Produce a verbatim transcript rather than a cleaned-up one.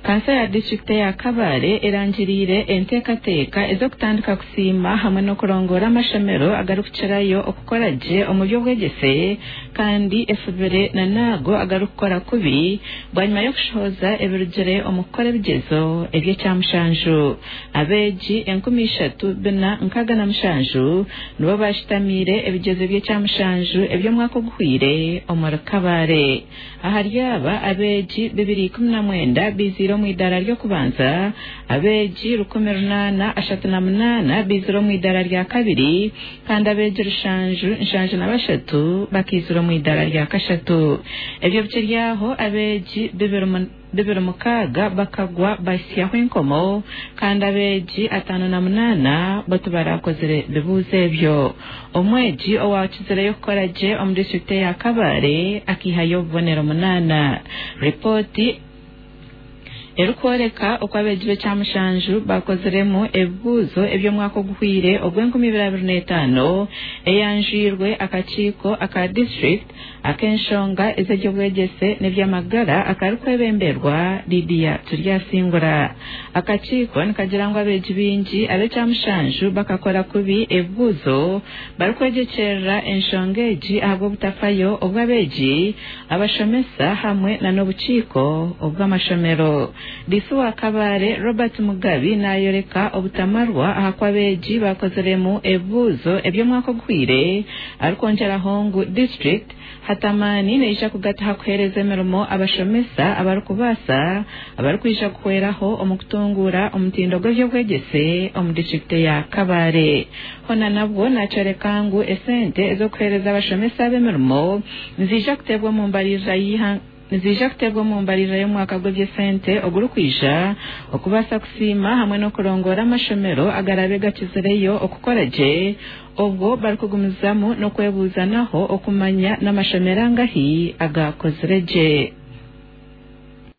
Kansa ya disitulikiti eya Kabale erangiriire enteekateeka ez'okutandika kusiima hamwe n'okurongoora amashomero agarikukirayo okukora gye omu by'obwegyese kandi efubire na n'ago agarikukora kubi bwanyima y'okushohoza ebirugire omu kukora ebigyezo eby'ekyamushanju. Abeegi enkumi ishatu bina nkaaga na mushanju nibo bashitamiire ebigyezo by'ekyamushanju eby'omwaka oguhwire omuri Kabale. Ahari aba abeegi bibiri ikumi na mwenda biziire omu idaara ry'okubanza, abeegi rukumi runaana ashatu na munaana biizire omu idaara rya kabiri kandi abeegi rushanju nshanju na bashatu bakaizira omu idaara rya kashatu. Ebyo bikiri aho abeegi bibiri bibiri mukaaga bakagwa basyaho enkomo kandi abeegi ataano na munaana bo tibarakozire bibuuzo ebyo. Omwegi owakizireyo kukora gye omu disitulikiti eya Kabale akihayo obubonero munaana. Ripooti erikworeka oku abeegi b'ekyamushanju bakoziremu ebibuuzo eby'omwaka oguhwire ogw'enkumi ibiri abiri n'etaano eyanjwirwe akakiiko aka disitulikiti ak'enshonga ez'eby'obwegyese n'eby'amagara akarikwebemberwa Lydia Turyasingura. Akakiiko nikagira ngu abeegi baingi ab'ekyamushanju bakakora kubi ebibuuzo barikwegyekyerera enshonga egi ahabw'obutafayo obw'abeegi, abashomesa hamwe na n'obukiiko obw'amashomero. Diisi wa Kabale Robert Mugabi naayoreka obutamarwa aha ku abeegi bakoziremu ebibuuzo eby'omwaka oguhwire arikwongyeraho ngu disitulikiti hatamani neija kugata kuheereza emirimo abashomesa abarikubaasa abarikwija kuhweraho omu kutunguura omutindo gw'eby'obwegyese omu disitulikiti ya Kabale. Hona nabwo nakyoreka ngu esente ez'okuheereza abashomesa ab'emirimo niziija kuteebwa omu mbarira y'ihanga niziija kuteebwa omu mbarira y'omwaka gw'eby'esente ogurikwija okubaasa kusiima hamwe n'okurongoora amashomero agarabe gakizireyo okukora gye obwo barikugumizamu n'okwebuuzanaho okumanya n'amashomero angahi agakozire gye.